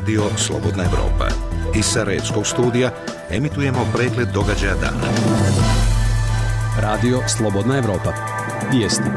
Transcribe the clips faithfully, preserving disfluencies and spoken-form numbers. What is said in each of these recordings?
Radio Slobodna Evropa. Iz Sarajevskog studija emitujemo pregled događaja dana. Radio Slobodna Evropa. Vijesti.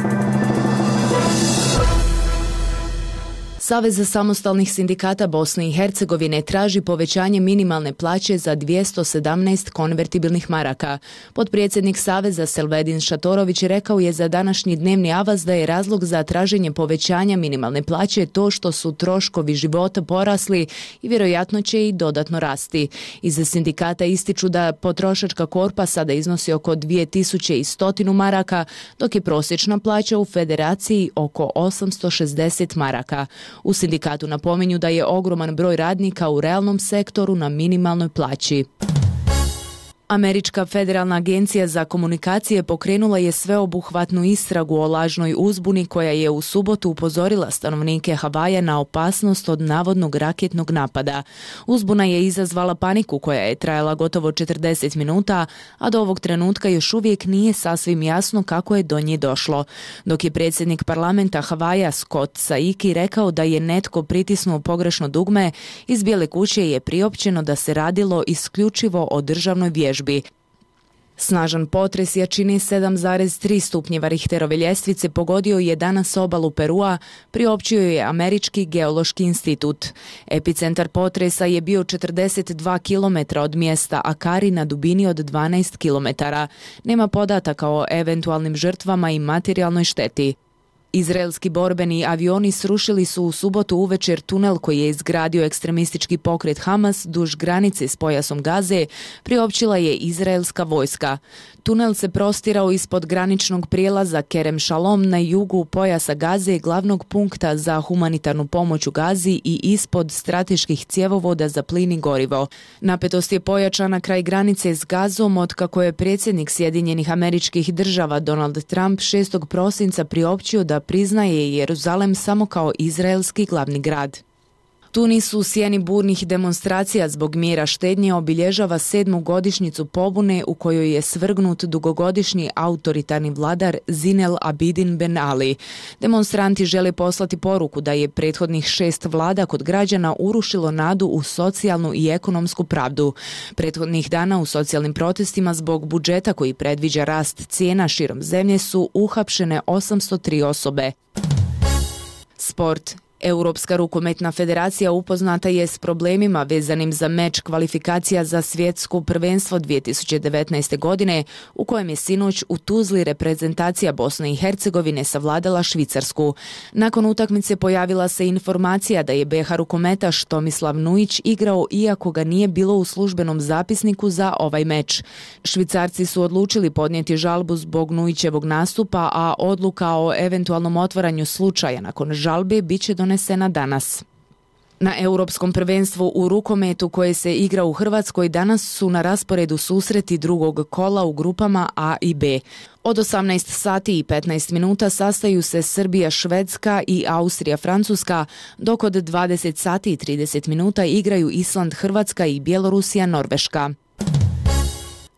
Savez samostalnih sindikata Bosne i Hercegovine traži povećanje minimalne plaće za dvjesto sedamnaest konvertibilnih maraka. Potpredsjednik Saveza Selvedin Šatorović rekao je za današnji dnevni avaz da je razlog za traženje povećanja minimalne plaće to što su troškovi života porasli i vjerojatno će i dodatno rasti. Iz sindikata ističu da potrošačka korpa sada iznosi oko dvije tisuće sto maraka, dok je prosječna plaća u federaciji oko osamsto šezdeset maraka. U sindikatu napominju da je ogroman broj radnika u realnom sektoru na minimalnoj plaći. Američka federalna agencija za komunikacije pokrenula je sveobuhvatnu istragu o lažnoj uzbuni koja je u subotu upozorila stanovnike Havaja na opasnost od navodnog raketnog napada. Uzbuna je izazvala paniku koja je trajala gotovo četrdeset minuta, a do ovog trenutka još uvijek nije sasvim jasno kako je do nje došlo. Dok je predsjednik parlamenta Havaja Scott Saiki rekao da je netko pritisnuo pogrešno dugme, iz Bijele kuće je priopćeno da se radilo isključivo o državnoj vježbi. Snažan potres jačine sedam zarez tri stupnjeva Richterove ljestvice pogodio je danas obalu Perua, priopćio je Američki geološki institut. Epicentar potresa je bio četrdeset dva kilometra od mjesta Akari na dubini od dvanaest kilometara. Nema podataka o eventualnim žrtvama i materijalnoj šteti. Izraelski borbeni avioni srušili su u subotu uvečer tunel koji je izgradio ekstremistički pokret Hamas duž granice s pojasom Gaze, priopćila je izraelska vojska. Tunel se prostirao ispod graničnog prijelaza Kerem Shalom na jugu pojasa Gaze, glavnog punkta za humanitarnu pomoć u Gazi, i ispod strateških cjevovoda za plin i gorivo. Napetost je pojačana kraj granice s Gazom otkako je predsjednik Sjedinjenih Američkih Država Donald Trump šestog prosinca priopćio da priznaje Jeruzalem samo kao izraelski glavni grad. Tunis u sjeni burnih demonstracija zbog mjera štednje obilježava sedmu godišnjicu pobune u kojoj je svrgnut dugogodišnji autoritarni vladar Zinel Abidin Ben Ali. Demonstranti žele poslati poruku da je prethodnih šest vlada kod građana urušilo nadu u socijalnu i ekonomsku pravdu. Prethodnih dana u socijalnim protestima zbog budžeta koji predviđa rast cijena širom zemlje su uhapšene osamsto tri osobe. Sport. Europska rukometna federacija upoznata je s problemima vezanim za meč kvalifikacija za svjetsko prvenstvo dvije tisuće devetnaeste. godine, u kojem je sinoć u Tuzli reprezentacija Bosne i Hercegovine savladala Švicarsku. Nakon utakmice pojavila se informacija da je be ha rukometaš Tomislav Nujić igrao iako ga nije bilo u službenom zapisniku za ovaj meč. Švicarci su odlučili podnijeti žalbu zbog Nujićevog nastupa, a odluka o eventualnom otvaranju slučaja nakon žalbe bit će donesena danas. Na Europskom prvenstvu u rukometu koje se igra u Hrvatskoj danas su na rasporedu susreti drugog kola u grupama A i B. Od osamnaest sati i petnaest minuta sastaju se Srbija, Švedska i Austrija, Francuska, dok od dvadeset sati i trideset minuta igraju Island, Hrvatska i Bjelorusija, Norveška.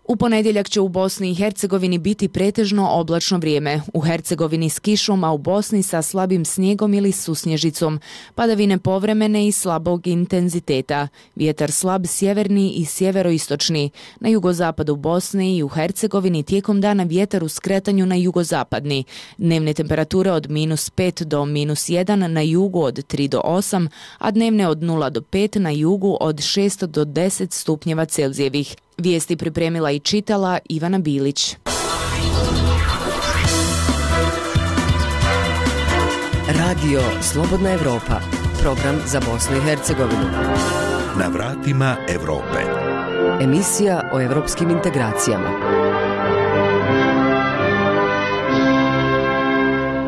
U ponedjeljak će u Bosni i Hercegovini biti pretežno oblačno vrijeme. U Hercegovini s kišom, a u Bosni sa slabim snijegom ili susnježicom. Padavine povremene i slabog intenziteta. Vjetar slab sjeverni i sjeveroistočni. Na jugozapadu Bosne i u Hercegovini tijekom dana vjetar u skretanju na jugozapadni. Dnevne temperature od minus pet do minus jedan, na jugu od tri do osam, a dnevne od nula do pet, na jugu od šest do deset stupnjeva Celzijevih. Vijesti pripremila i čitala Ivana Bilić. Radio Slobodna Evropa, program za Bosnu i Hercegovinu. Na vratima Europe. Emisija o evropskim integracijama.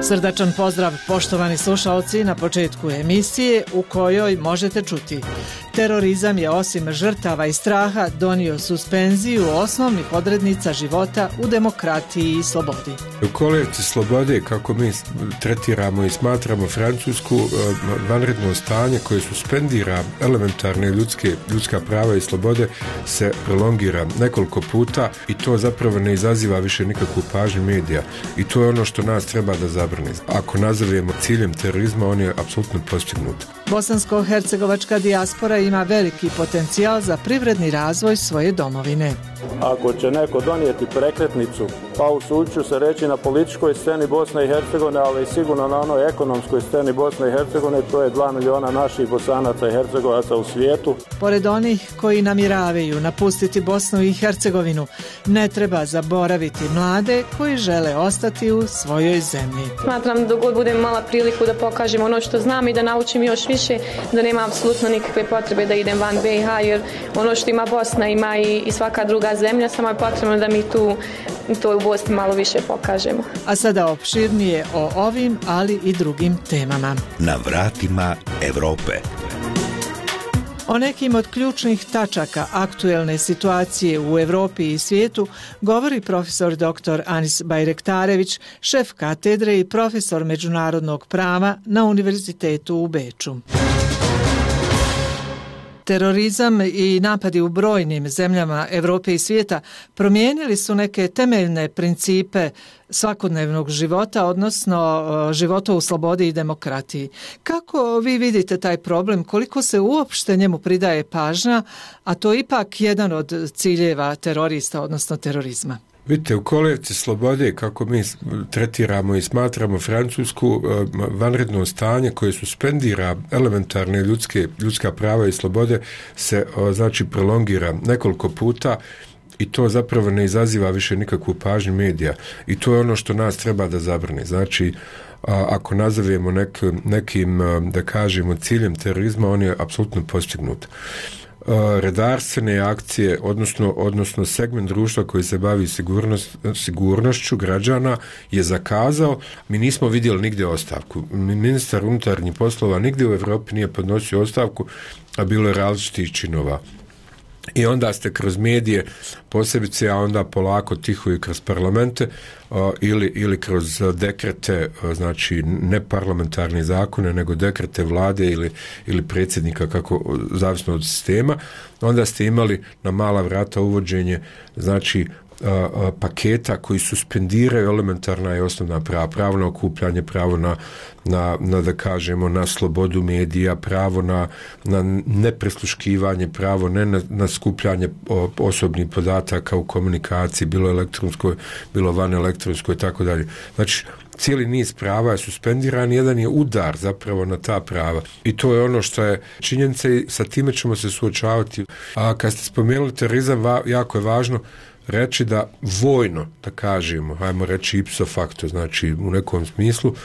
Srdačan pozdrav, poštovani slušaoci, na početku emisije u kojoj možete čuti: terorizam je osim žrtava i straha donio suspenziju osnovnih odrednica života u demokratiji i slobodi. U kolevci slobode, kako mi tretiramo i smatramo Francusku, vanredno stanje koje suspendira elementarne ljudske, ljudska prava i slobode se prolongira nekoliko puta i to zapravo ne izaziva više nikakvu pažnju medija. I to je ono što nas treba da zabrani. Ako nazovemo ciljem terorizma, on je apsolutno postignut. Bosansko-hercegovačka dijaspora ima veliki potencijal za privredni razvoj svoje domovine. Ako će neko donijeti prekretnicu, pa usuđuju se reći na političkoj sceni Bosne i Hercegovine, ali i sigurno na onoj ekonomskoj sceni Bosne i Hercegovine, to je dva miliona naših Bosanaca i Hercegovaca u svijetu. Pored onih koji namjeravaju napustiti Bosnu i Hercegovinu, ne treba zaboraviti mlade koji žele ostati u svojoj zemlji. Smatram da dok budem imala priliku da pokažem ono što znam i da naučim još više, da nema apsolutno nikakve potrebe da idem van B i H, jer ono što ima Bosna ima i, i svaka druga zemlja, samo je potrebno da mi tu to u Bosni malo više pokažemo. A sada opširnije o ovim, ali i drugim temama. Na vratima Evrope. O nekim od ključnih tačaka aktuelne situacije u Evropi i svijetu govori profesor doktor Anis Bajrektarević, šef katedre i profesor međunarodnog prava na Univerzitetu u Beču. Terorizam i napadi u brojnim zemljama Evrope i svijeta promijenili su neke temeljne principe svakodnevnog života, odnosno života u slobodi i demokratiji. Kako vi vidite taj problem, koliko se uopšte njemu pridaje pažnja, a to je ipak jedan od ciljeva terorista, odnosno terorizma? Vidite, u kolevci slobode, kako mi tretiramo i smatramo Francusku, vanredno stanje koje suspendira elementarne ljudske, ljudska prava i slobode se znači prolongira nekoliko puta i to zapravo ne izaziva više nikakvu pažnju medija. I to je ono što nas treba da zabrani. Znači, ako nazovemo nek, nekim, da kažemo, ciljem terorizma, on je apsolutno postignut. Redarstvene akcije, odnosno, odnosno segment društva koji se bavi sigurnost, sigurnošću građana je zakazao. Mi nismo vidjeli nigdje ostavku. Ministar unutarnjih poslova nigdje u Europi nije podnosio ostavku, a bilo je različitih činova. I onda ste kroz medije, posebice, a onda polako tiho i kroz parlamente o, ili, ili kroz dekrete, o, znači ne parlamentarne zakone, nego dekrete vlade ili, ili predsjednika, kako, zavisno od sistema, onda ste imali na mala vrata uvođenje, znači, a, a, paketa koji suspendiraju elementarna i osnovna prava, pravo na okupljanje, pravo na, na, na da kažemo, na slobodu medija, pravo na, na neprisluškivanje, pravo ne na, na skupljanje o, osobnih podataka u komunikaciji, bilo elektronskoj, bilo van elektronskoj i tako dalje. Znači, cijeli niz prava je suspendiran, jedan je udar zapravo na ta prava. I to je ono što je činjenica i sa time ćemo se suočavati. A kad ste spomenuli terorizam, va, jako je važno reći da vojno, da kažemo, hajmo reći ipso facto, znači u nekom smislu,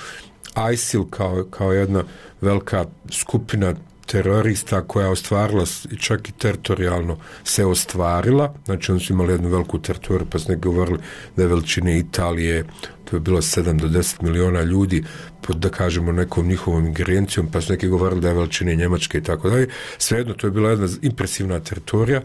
I S I L kao, kao jedna velika skupina terorista koja je ostvarila i čak i teritorijalno se ostvarila, znači oni su imali jednu veliku teritoriju, pa su neki govorili da je veličine Italije, to je bilo sedam do deset miliona ljudi pod, da kažemo, nekom njihovom ingerencijom, pa su neki govorili da je veličine Njemačke i tako dalje. Svejedno, to je bila jedna impresivna teritorija.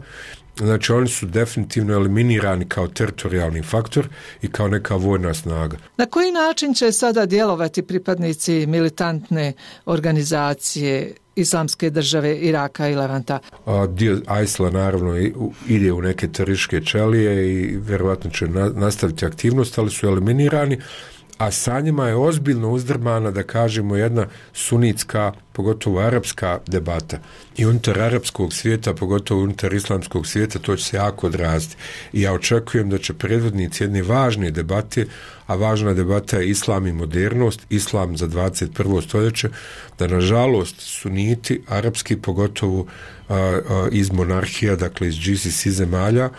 Znači, oni su definitivno eliminirani kao teritorijalni faktor i kao neka vojna snaga. Na koji način će sada djelovati pripadnici militantne organizacije Islamske države Iraka i Levanta? A, dio I S I L-a naravno ide u neke terorističke ćelije i vjerovatno će na, nastaviti aktivnost, ali su eliminirani, a sa njima je ozbiljno uzdrmana, da kažemo, jedna sunitska, pogotovo arapska debata. I unutar arapskog svijeta, pogotovo unutar islamskog svijeta, to će se jako odraziti. I ja očekujem da će predvodnici jedne važne debate, a važna debata je islam i modernost, islam za dvadeset prvo stoljeće, da nažalost suniti, arapski, pogotovo a, a, iz monarhija, dakle iz G C C zemalja,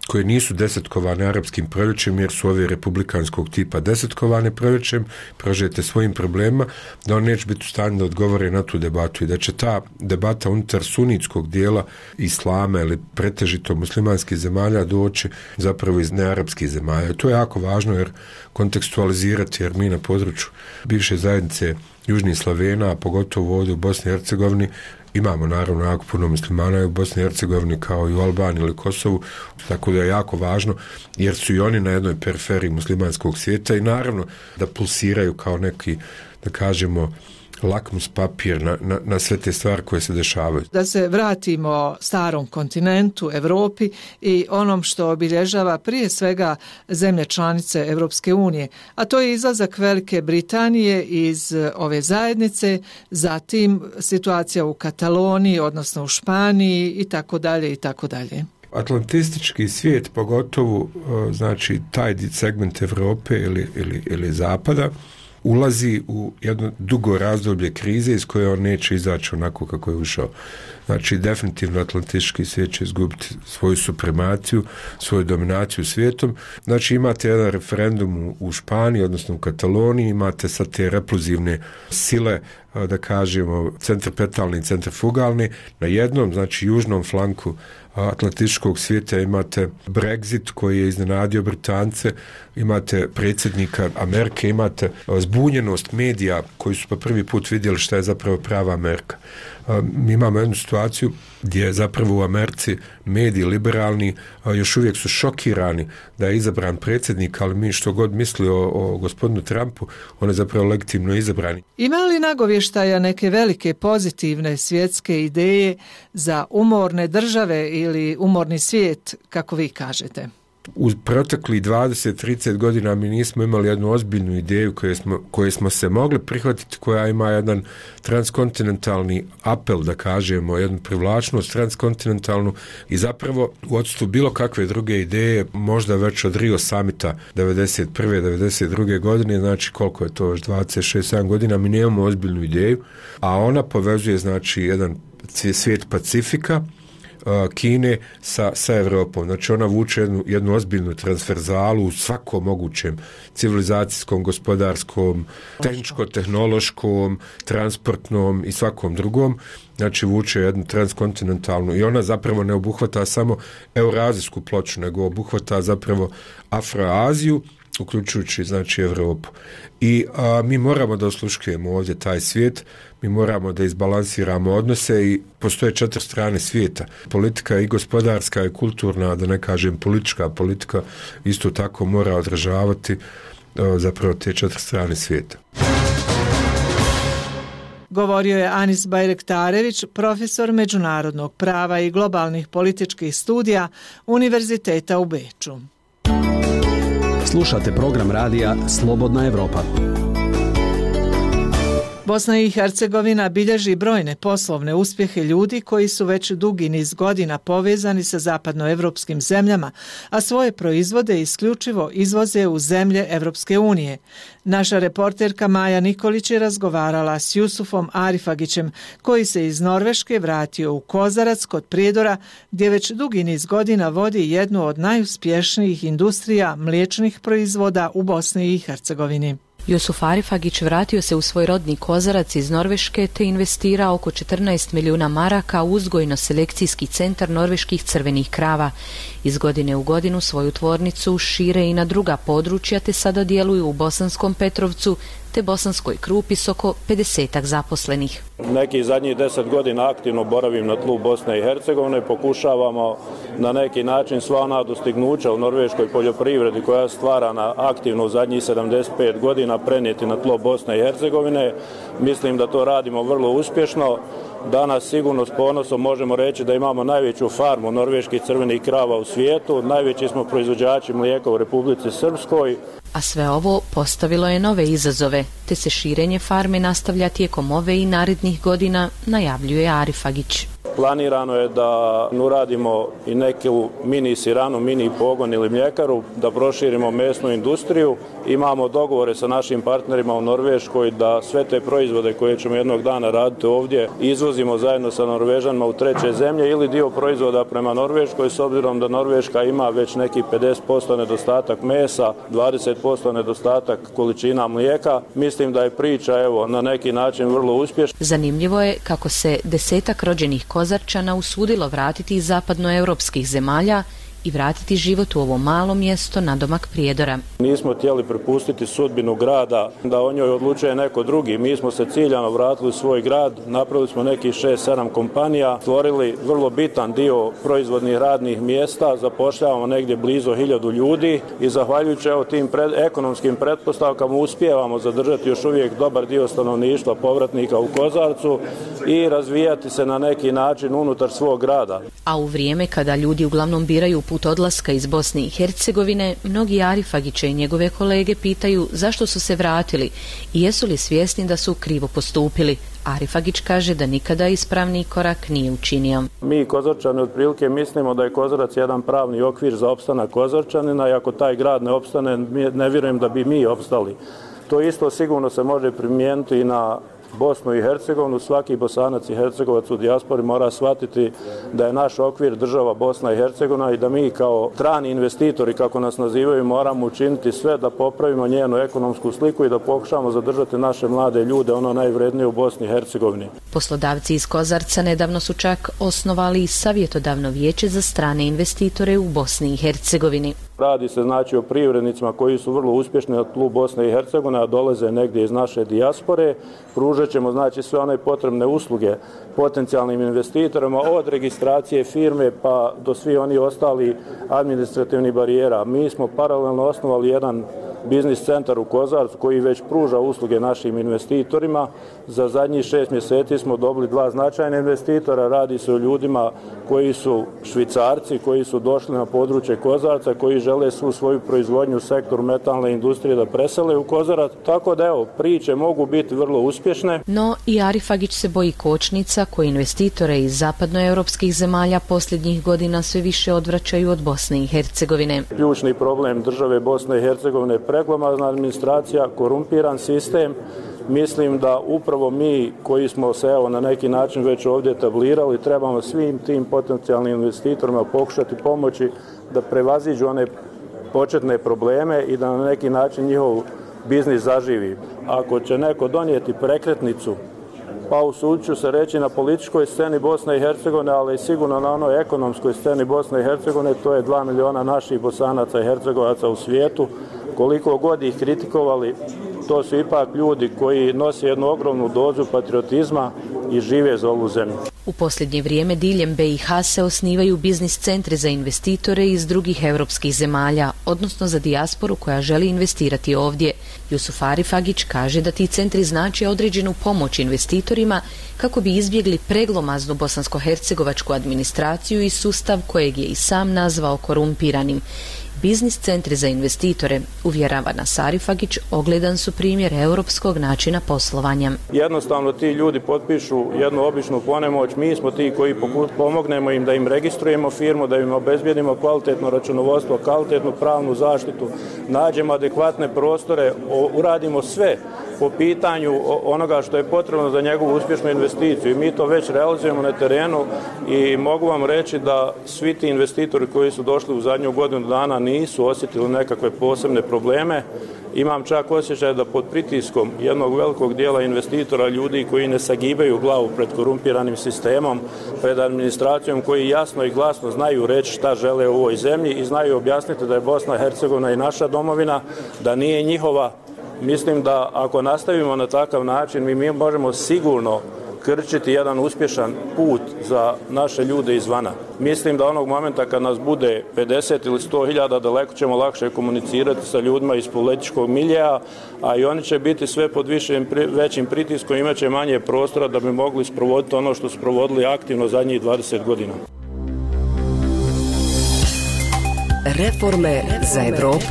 koje nisu desetkovane arapskim proljećem, jer su ove republikanskog tipa desetkovane proljećem, prožete svojim problemima, da on neće biti u stanju da odgovore na tu debatu i da će ta debata unutar sunitskog dijela islama ili pretežito muslimanskih zemalja doći zapravo iz nearapskih zemalja. To je jako važno jer kontekstualizirati, jer mi na području bivše zajednice Južnih Slavena, a pogotovo ovdje u Bosni i Hercegovini, imamo naravno jako puno muslimana i u Bosni i Hercegovini kao i u Albaniji ili Kosovu, tako da je jako važno jer su i oni na jednoj periferiji muslimanskog svijeta i naravno da pulsiraju kao neki, da kažemo, lakmus papir na, na, na sve te stvari koje se dešavaju. Da se vratimo starom kontinentu, Europi i onom što obilježava prije svega zemlje članice Europske unije, a to je izlazak Velike Britanije iz ove zajednice, zatim situacija u Kataloniji, odnosno u Španiji i tako dalje i tako dalje. Atlantistički svijet, pogotovo znači taj segment Europe ili, ili, ili Zapada, ulazi u jedno dugo razdoblje krize iz koje on neće izaći onako kako je ušao. Znači, definitivno atlantički svijet će izgubiti svoju supremaciju, svoju dominaciju svijetom. Znači, imate jedan referendum u, u Španiji, odnosno u Kataloniji, imate sad te repluzivne sile, da kažemo, centripetalni i centrifugalni. Na jednom, znači, južnom flanku atlantičkog svijeta imate Brexit koji je iznenadio Britance, imate predsjednika Amerike, imate zbunjenost medija koji su pa prvi put vidjeli šta je zapravo prava Amerika. Mi imamo jednu situaciju gdje je zapravo u Americi mediji liberalni još uvijek su šokirani da je izabran predsjednik, ali mi što god misli o, o gospodinu Trumpu, on je zapravo legitimno izabran. Ima li nagovještaja neke velike pozitivne svjetske ideje za umorne države ili umorni svijet, kako vi kažete? U protekli dvadeset do trideset godina mi nismo imali jednu ozbiljnu ideju koje smo, koje smo se mogli prihvatiti, koja ima jedan transkontinentalni apel, da kažemo, jednu privlačnost transkontinentalnu i zapravo u odstupu bilo kakve druge ideje, možda već od Rio Summita devedeset prve devedeset druge godine, znači koliko je to još dvadeset šest sedam godina, mi nemamo ozbiljnu ideju, a ona povezuje znači jedan svijet Pacifika, Kine sa, sa Evropom. Znači ona vuče jednu, jednu ozbiljnu transverzalu u svakom mogućem civilizacijskom, gospodarskom, tehničko-tehnološkom, transportnom i svakom drugom. Znači vuče jednu transkontinentalnu i ona zapravo ne obuhvata samo eurazijsku ploču, nego obuhvata zapravo Afroaziju, uključujući znači Evropu. I a, mi moramo da osluškujemo ovdje taj svijet, mi moramo da izbalansiramo odnose i postoje četiri strane svijeta. Politika i gospodarska i kulturna, da ne kažem politička politika, isto tako mora odražavati a, zapravo te četiri strane svijeta. Govorio je Anis Bajrektarević, profesor međunarodnog prava i globalnih političkih studija Univerziteta u Beču. Slušate program radija Slobodna Evropa. Bosna i Hercegovina bilježi brojne poslovne uspjehe ljudi koji su već dugi niz godina povezani sa zapadnoevropskim zemljama, a svoje proizvode isključivo izvoze u zemlje Evropske unije. Naša reporterka Maja Nikolić je razgovarala s Jusufom Arifagićem, koji se iz Norveške vratio u Kozarac kod Prijedora, gdje već dugi niz godina vodi jednu od najuspješnijih industrija mliječnih proizvoda u Bosni i Hercegovini. Jusuf Arifagić vratio se u svoj rodni Kozarac iz Norveške te investirao oko četrnaest milijuna maraka u uzgojno-selekcijski centar norveških crvenih krava. Iz godine u godinu svoju tvornicu šire i na druga područja te sada djeluju u Bosanskom Petrovcu te Bosanskoj Krupi s oko pedesetak zaposlenih. Neki zadnjih deset godina aktivno boravim na tlu Bosne i Hercegovine, pokušavamo na neki način sva ona dostignuća u norveškoj poljoprivredi koja je stvarana aktivno u zadnjih sedamdeset pet godina prenijeti na tlo Bosne i Hercegovine. Mislim da to radimo vrlo uspješno. Danas sigurno s ponosom možemo reći da imamo najveću farmu norveških crvenih krava u svijetu, najveći smo proizvođači mlijeka u Republici Srpskoj. A sve ovo postavilo je nove izazove, te se širenje farme nastavlja tijekom ove i narednih godina, najavljuje Arifagić. Planirano je da uradimo i neku mini siranu, mini pogon ili mljekaru, da proširimo mesnu industriju. Imamo dogovore sa našim partnerima u Norveškoj da sve te proizvode koje ćemo jednog dana raditi ovdje izvozimo zajedno sa Norvežanima u treće zemlje ili dio proizvoda prema Norveškoj, s obzirom da Norveška ima već neki pedeset posto nedostatak mesa, dvadeset posto nedostatak količina mlijeka. Mislim da je priča evo na neki način vrlo uspješna. Zanimljivo je kako se desetak rođenih Kozarčana usudilo vratiti iz zapadnoevropskih zemalja i vratiti život u ovo malo mjesto nadomak Prijedora. Nismo htjeli prepustiti sudbinu grada da o njoj odlučuje neko drugi. Mi smo se ciljano vratili u svoj grad, napravili smo nekih šest sedam kompanija, stvorili vrlo bitan dio proizvodnih radnih mjesta, zapošljavamo negdje blizu hiljadu ljudi i zahvaljujući evo tim pred, ekonomskim pretpostavkama uspijevamo zadržati još uvijek dobar dio stanovništva povratnika u Kozarcu i razvijati se na neki način unutar svog grada. A u vrijeme kada ljudi uglavnom biraju put odlaska iz Bosne i Hercegovine, mnogi Arifagiće i njegove kolege pitaju zašto su se vratili i jesu li svjesni da su krivo postupili. Arifagić kaže da nikada ispravni korak nije učinio. Mi Kozarčani otprilike mislimo da je Kozarac jedan pravni okvir za opstanak Kozarčanina i ako taj grad ne opstane, ne vjerujem da bi mi opstali. To isto sigurno se može primijeniti i na Bosnu i Hercegovinu. Svaki Bosanac i Hercegovac u dijaspori mora shvatiti da je naš okvir država Bosna i Hercegovina i da mi kao strani investitori, kako nas nazivaju, moramo učiniti sve da popravimo njenu ekonomsku sliku i da pokušamo zadržati naše mlade ljude, ono najvrednije u Bosni i Hercegovini. Poslodavci iz Kozarca nedavno su čak osnovali i savjetodavno vijeće za strane investitore u Bosni i Hercegovini. Radi se znači o privrednicima koji su vrlo uspješni na tlu Bosne i Hercegovine, a dolaze negdje iz naše dijaspore. Pružat ćemo znači sve one potrebne usluge potencijalnim investitorima od registracije firme pa do svi oni ostali administrativnih barijera. Mi smo paralelno osnovali jedan biznis centar u Kozarcu koji već pruža usluge našim investitorima. Za zadnjih šest mjeseci smo dobili dva značajna investitora. Radi se o ljudima koji su Švicarci, koji su došli na područje Kozarca, koji žele svu svoju proizvodnju u sektoru metalne industrije da presele u Kozarac. Tako da evo, priče mogu biti vrlo uspješne. No i Arifagić se boji kočnica koji investitore iz zapadnoevropskih zemalja posljednjih godina sve više odvraćaju od Bosne i Hercegovine. Ključni problem države Bosne i Hercegovine je preglomazna administracija, korumpiran sistem. Mislim da upravo mi koji smo se evo na neki način već ovdje etablirali trebamo svim tim potencijalnim investitorima pokušati pomoći da prevaziđu one početne probleme i da na neki način njihov biznis zaživi. Ako će neko donijeti prekretnicu, pa usudit ću se reći na političkoj sceni Bosne i Hercegovine, ali i sigurno na onoj ekonomskoj sceni Bosne i Hercegovine, to je dva miliona naših Bosanaca i Hercegovaca u svijetu. Koliko god ih kritikovali, to su ipak ljudi koji nose jednu ogromnu dozu patriotizma i žive za ovu zemlju. U posljednje vrijeme diljem B i H se osnivaju biznis centri za investitore iz drugih europskih zemalja, odnosno za dijasporu koja želi investirati ovdje. Jusuf Arifagić kaže da ti centri znače određenu pomoć investitorima kako bi izbjegli preglomaznu bosansko-hercegovačku administraciju i sustav kojeg je i sam nazvao korumpiranim. Biznis centri za investitore, uvjerava nas Arifagić, ogledan su primjer europskog načina poslovanja. Jednostavno ti ljudi potpišu jednu običnu ponemoć, mi smo ti koji pomognemo im da im registrujemo firmu, da im obezbijedimo kvalitetno računovodstvo, kvalitetnu pravnu zaštitu, nađemo adekvatne prostore, uradimo sve po pitanju onoga što je potrebno za njegovu uspješnu investiciju. I mi to već realizujemo na terenu i mogu vam reći da svi ti investitori koji su došli u zadnju godinu dana nisu osjetili nekakve posebne probleme. Imam čak osjećaj da pod pritiskom jednog velikog dijela investitora, ljudi koji ne sagibaju glavu pred korumpiranim sistemom, pred administracijom, koji jasno i glasno znaju reći šta žele u ovoj zemlji i znaju objasniti da je Bosna i Hercegovina i naša domovina, da nije njihova. Mislim da ako nastavimo na takav način, mi, mi možemo sigurno krčiti jedan uspješan put za naše ljude izvana. Mislim da onog momenta kad nas bude pedeset ili sto hiljada, daleko ćemo lakše komunicirati sa ljudima iz političkog miljeja, a i oni će biti sve pod višim, većim pritiskom, imat će manje prostora da bi mogli sprovoditi ono što su provodili aktivno zadnjih dvadeset godina. Reforme za Evropu.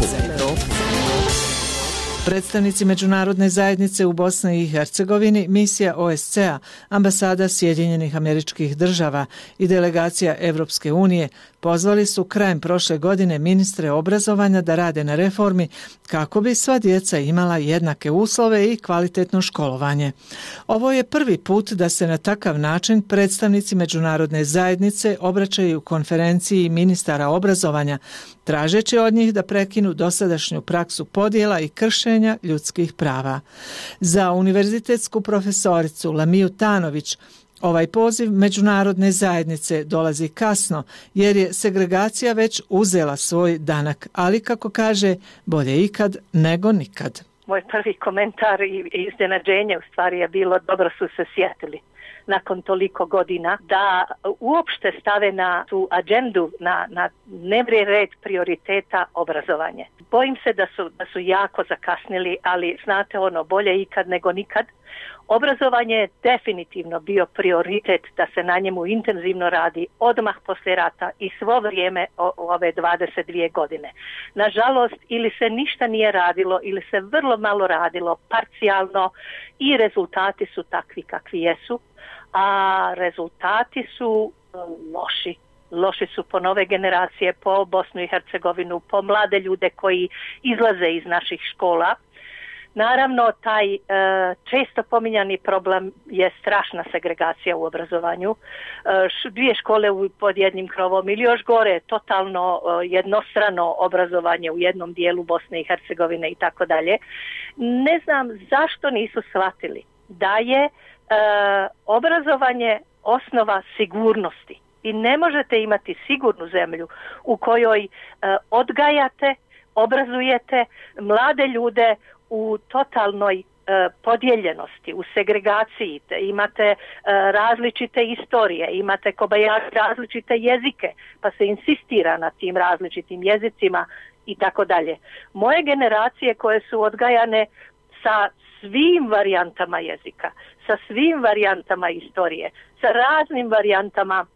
Predstavnici međunarodne zajednice u Bosni i Hercegovini, misija O S C A, ambasada Sjedinjenih Američkih Država i delegacija Evropske unije pozvali su krajem prošle godine ministre obrazovanja da rade na reformi kako bi sva djeca imala jednake uslove i kvalitetno školovanje. Ovo je prvi put da se na takav način predstavnici međunarodne zajednice obraćaju konferenciji ministara obrazovanja, tražeći od njih da prekinu dosadašnju praksu podjela i kršenja ljudskih prava. Za univerzitetsku profesoricu Lamiju Tanović, Ovaj poziv međunarodne zajednice dolazi kasno jer je segregacija već uzela svoj danak, ali kako kaže, bolje ikad nego nikad. Moj prvi komentar i iznenađenje u stvari je bilo dobro su se sjetili nakon toliko godina da uopšte stave na tu agendu, na, na dnevni red prioriteta obrazovanje. Bojim se da su, da su jako zakasnili, ali znate ono, bolje ikad nego nikad. Obrazovanje je definitivno bio prioritet da se na njemu intenzivno radi odmah poslije rata i svo vrijeme o, ove dvadeset dvije godine. Nažalost, ili se ništa nije radilo ili se vrlo malo radilo, parcijalno, i rezultati su takvi kakvi jesu, a rezultati su loši. Loši su po nove generacije, po Bosnu i Hercegovinu, po mlade ljude koji izlaze iz naših škola. Naravno, taj e, često pominjani problem je strašna segregacija u obrazovanju. E, dvije škole pod jednim krovom ili još gore, totalno e, jednostrano obrazovanje u jednom dijelu Bosne i Hercegovine i tako dalje. Ne znam zašto nisu shvatili da je e, obrazovanje osnova sigurnosti. I ne možete imati sigurnu zemlju u kojoj e, odgajate, obrazujete mlade ljude u totalnoj e, podijeljenosti, u segregaciji. Imate e, različite istorije, imate kobajaši različite jezike, pa se insistira na tim različitim jezicima i tako dalje. Moje generacije koje su odgajane sa svim varijantama jezika, sa svim varijantama istorije, sa raznim varijantama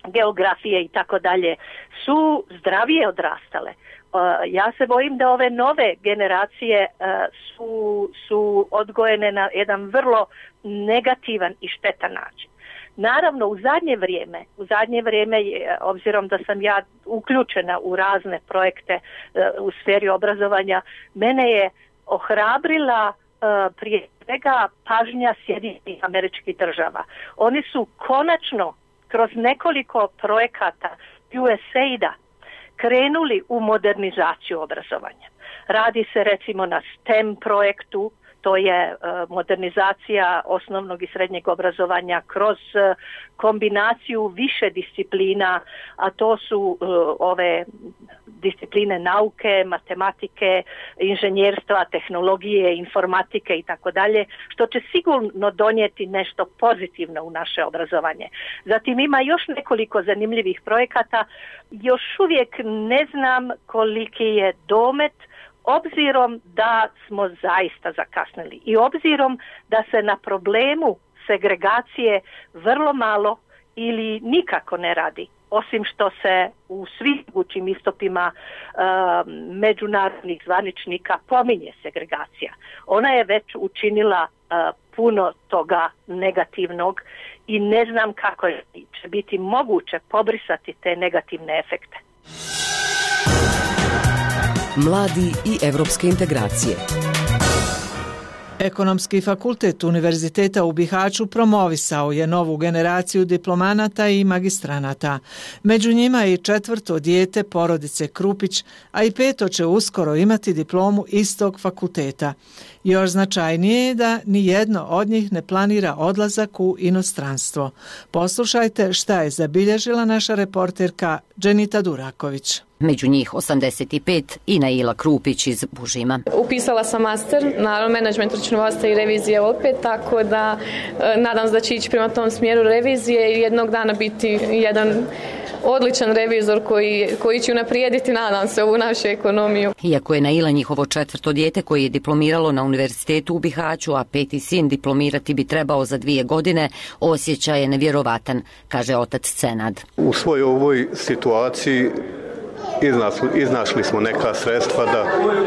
geografije i tako dalje, su zdravije odrastale. Uh, ja se bojim da ove nove generacije uh, su, su odgojene na jedan vrlo negativan i štetan način. Naravno, u zadnje vrijeme, u zadnje vrijeme, obzirom da sam ja uključena u razne projekte uh, u sferi obrazovanja, mene je ohrabrila uh, prije svega pažnja Sjedinjenih Američkih Država. Oni su konačno kroz nekoliko projekata U S A I D-a krenuli u modernizaciju obrazovanja. Radi se recimo na STEM projektu, to je uh, modernizacija osnovnog i srednjeg obrazovanja kroz uh, kombinaciju više disciplina, a to su uh, ove discipline nauke, matematike, inženjerstva, tehnologije, informatike i tako dalje, što će sigurno donijeti nešto pozitivno u naše obrazovanje. Zatim ima još nekoliko zanimljivih projekata, još uvijek ne znam koliki je domet, obzirom da smo zaista zakasnili i obzirom da se na problemu segregacije vrlo malo ili nikako ne radi, osim što se u svim mogućim istupima uh, međunarodnih zvaničnika pominje segregacija. Ona je već učinila uh, puno toga negativnog i ne znam kako će biti moguće pobrisati te negativne efekte. Mladi i evropske integracije. Ekonomski fakultet Univerziteta u Bihaću promovisao je novu generaciju diplomanata i magistranata. Među njima je i četvrto dijete porodice Krupić, a i peto će uskoro imati diplomu istog fakulteta. Još značajnije je da ni jedno od njih ne planira odlazak u inostranstvo. Poslušajte šta je zabilježila naša reporterka Dženita Duraković. Među njih osamdeset pet i Naila Krupić iz Bužima. Upisala sam master, naravno menadžment, računovodstva i revizije opet, tako da e, nadam se da će ići prema tom smjeru revizije i jednog dana biti jedan odličan revizor koji, koji će unaprijediti, nadam se, ovu našu ekonomiju. Iako je Naila njihovo četvrto dijete koje je diplomiralo na Univerzitetu u Bihaću, a peti sin diplomirati bi trebao za dvije godine, osjećaj je nevjerovatan, kaže otac Cenad. U svojoj ovoj situaciji Iznašli, iznašli smo neka sredstva da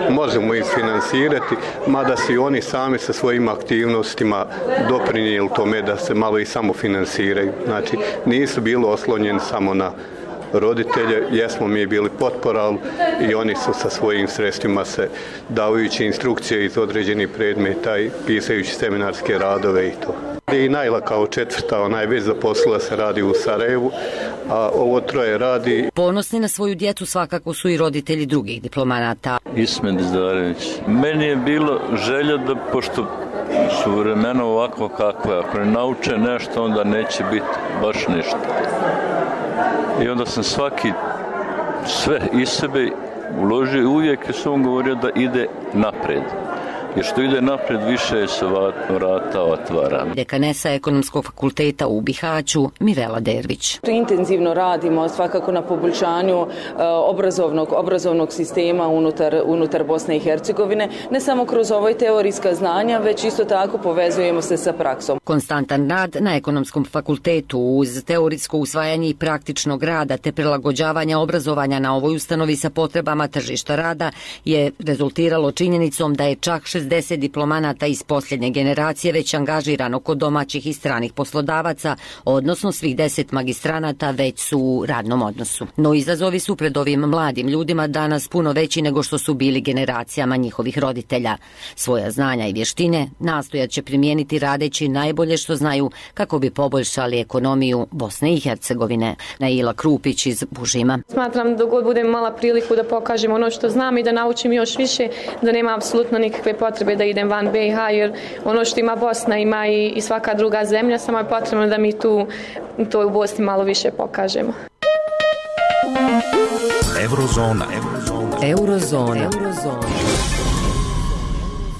možemo ih finansirati, mada si oni sami sa svojim aktivnostima doprinijeli tome da se malo i samo finansiraju. Znači, nisu bili oslonjeni samo na roditelje, jesmo mi bili potpora i oni su sa svojim sredstvima se dajući instrukcije iz određenih predmeta i pisajući seminarske radove i to. I Naila kao četvrta, ona je već zaposlila se, radi u Sarajevu, a ovo troje radi. Ponosni na svoju djecu svakako su i roditelji drugih diplomanata. Ismet Zdarević. Meni je bilo želja da, pošto su vremena ovako kakve, ako ne nauče nešto, onda neće biti baš ništa. I onda sam svaki, sve iz sebe uložio i uvijek sam govorio da ide napred. Jer što ide napred, više se vrata otvara. Dekanesa Ekonomskog fakulteta u Bihaću, Mirela Dervić. Intenzivno radimo svakako na poboljšanju uh, obrazovnog, obrazovnog sistema unutar, unutar Bosne i Hercegovine, ne samo kroz ovoj teorijska znanja, već isto tako povezujemo se sa praksom. Konstantan rad na Ekonomskom fakultetu uz teorijsko usvajanje i praktičnog rada te prilagođavanja obrazovanja na ovoj ustanovi sa potrebama tržišta rada je rezultiralo činjenicom da je čak šezdeset diplomanata iz posljednje generacije već angažirano kod domaćih i stranih poslodavaca, odnosno svih deset magistranata već su u radnom odnosu. No izazovi su pred ovim mladim ljudima danas puno veći nego što su bili generacijama njihovih roditelja. Svoja znanja i vještine nastojat će primijeniti radeći najbolje što znaju kako bi poboljšali ekonomiju Bosne i Hercegovine. Naila Krupić iz Bužima. Smatram da god budem imala priliku da pokažem ono što znam i da naučim još više, da nema apsolutno nikakve potrebe da idem van B i H, jer ono što ima Bosna ima i, i svaka druga zemlja, samo je potrebno da mi tu to u Bosni malo više pokažemo. Eurozona. Eurozona. Eurozona.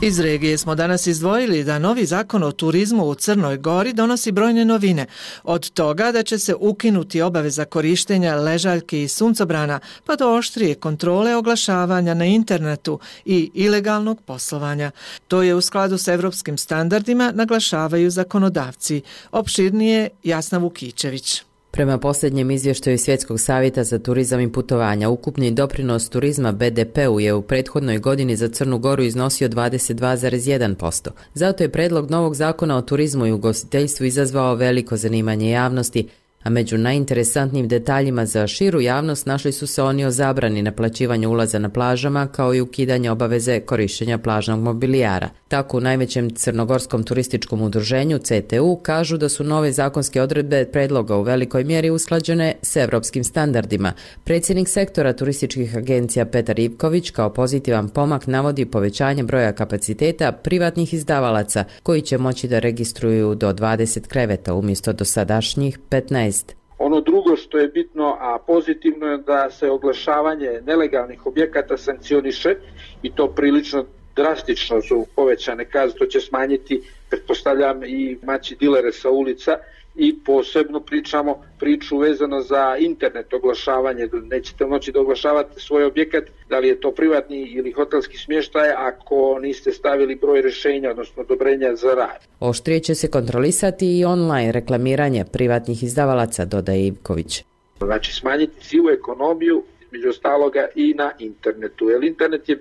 Iz regije smo danas izdvojili da novi zakon o turizmu u Crnoj Gori donosi brojne novine. Od toga da će se ukinuti obaveza korištenja ležaljki i suncobrana, pa do oštrije kontrole oglašavanja na internetu i ilegalnog poslovanja. To je u skladu s evropskim standardima, naglašavaju zakonodavci. Opširnije Jasna Vukičević. Prema posljednjem izvještaju Svjetskog savjeta za turizam i putovanja, ukupni doprinos turizma B D P-u je u prethodnoj godini za Crnu Goru iznosio dvadeset dva zarez jedan posto. Zato je predlog novog zakona o turizmu i ugostiteljstvu izazvao veliko zanimanje javnosti, a među najinteresantnijim detaljima za širu javnost našli su se oni o zabrani naplaćivanja ulaza na plažama kao i ukidanje obaveze korištenja plažnog mobilijara. Tako u najvećem crnogorskom turističkom udruženju C T U kažu da su nove zakonske odredbe predloga u velikoj mjeri usklađene s evropskim standardima. Predsjednik sektora turističkih agencija Petar Ivković kao pozitivan pomak navodi povećanje broja kapaciteta privatnih izdavalaca koji će moći da registruju do dvadeset kreveta umjesto dosadašnjih petnaest. Ono drugo što je bitno, a pozitivno je da se oglašavanje nelegalnih objekata sankcioniše i to prilično drastično su povećane kazne, to će smanjiti, pretpostavljam, i maći dilere sa ulica i posebno pričamo priču vezano za internet oglašavanje. Nećete moći da oglašavate svoj objekat, da li je to privatni ili hotelski smještaj, ako niste stavili broj rješenja, odnosno odobrenja za rad. Oštrije će se kontrolisati i online reklamiranje privatnih izdavalaca, dodaje Ivković. Znači smanjiti sivu ekonomiju, među ostaloga i na internetu, jer internet je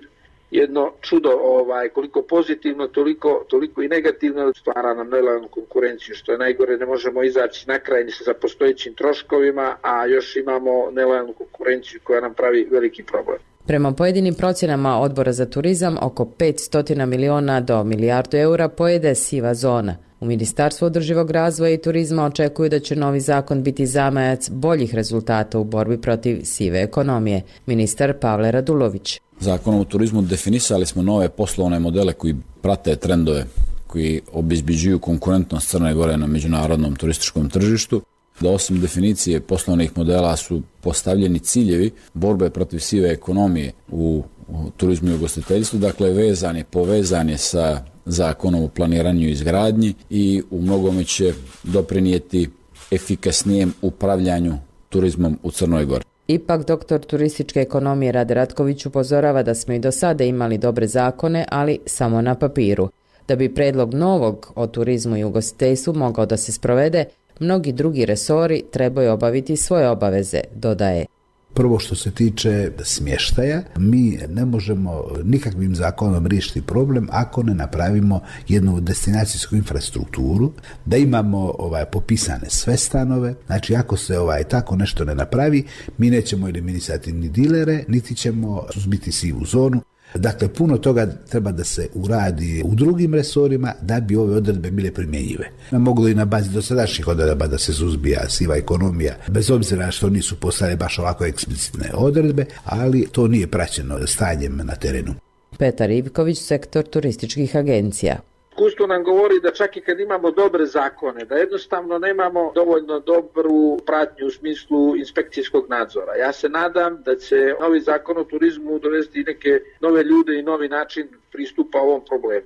jedno čudo, ovaj, koliko pozitivno, toliko, toliko i negativno, stvara nam nelojalnu konkurenciju, što je najgore, ne možemo izaći na kraj ni sa postojećim troškovima, a još imamo nelojalnu konkurenciju koja nam pravi veliki problem. Prema pojedinim procjenama Odbora za turizam, oko petsto miliona do milijardu eura pojede siva zona. U Ministarstvu održivog razvoja i turizma očekuju da će novi zakon biti zamajac boljih rezultata u borbi protiv sive ekonomije. Ministar Pavle Radulović. Zakonom o turizmu definisali smo nove poslovne modele koji prate trendove, koji obezbeđuju konkurentnost Crne Gore na međunarodnom turističkom tržištu. Da osim definicije poslovnih modela su postavljeni ciljevi borbe protiv sive ekonomije u, u turizmu i ugostiteljstvu, dakle vezan je, povezan je sa zakonom o planiranju i izgradnji i u mnogome će doprinijeti efikasnijem upravljanju turizmom u Crnoj Gori. Ipak doktor turističke ekonomije Rade Ratković upozorava da smo i do sada imali dobre zakone, ali samo na papiru. Da bi predlog novog o turizmu i ugostiteljstvu mogao da se sprovede, mnogi drugi resori trebaju obaviti svoje obaveze, dodaje. Prvo što se tiče smještaja, mi ne možemo nikakvim zakonom riješiti problem ako ne napravimo jednu destinacijsku infrastrukturu, da imamo ovaj popisane sve stanove. Znači ako se ovaj tako nešto ne napravi, mi nećemo eliminisati ni dilere, niti ćemo suzbiti sivu zonu. Dakle, puno toga treba da se uradi u drugim resorima da bi ove odredbe bile primjenjive. Moglo i na bazi dosadašnjih odredaba da se suzbija siva ekonomija, bez obzira što nisu postale baš ovako eksplicitne odredbe, ali to nije praćeno stanjem na terenu. Petar Ivković, sektor turističkih agencija. Iskustvo nam govori da čak i kad imamo dobre zakone, da jednostavno nemamo dovoljno dobru pratnju u smislu inspekcijskog nadzora. Ja se nadam da će novi zakon o turizmu dovesti neke nove ljude i novi način pristupa ovom problemu.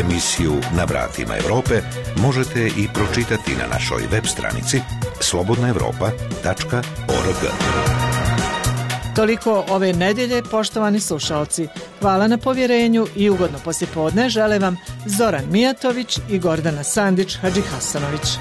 Emisiju Na vratima Evrope možete i pročitati na našoj web stranici slobodna evropa tačka org. Toliko ove nedjelje, poštovani slušalci. Hvala na povjerenju i ugodno poslijepodne žele vam Zoran Mijatović i Gordana Sandić Hadžihasanović.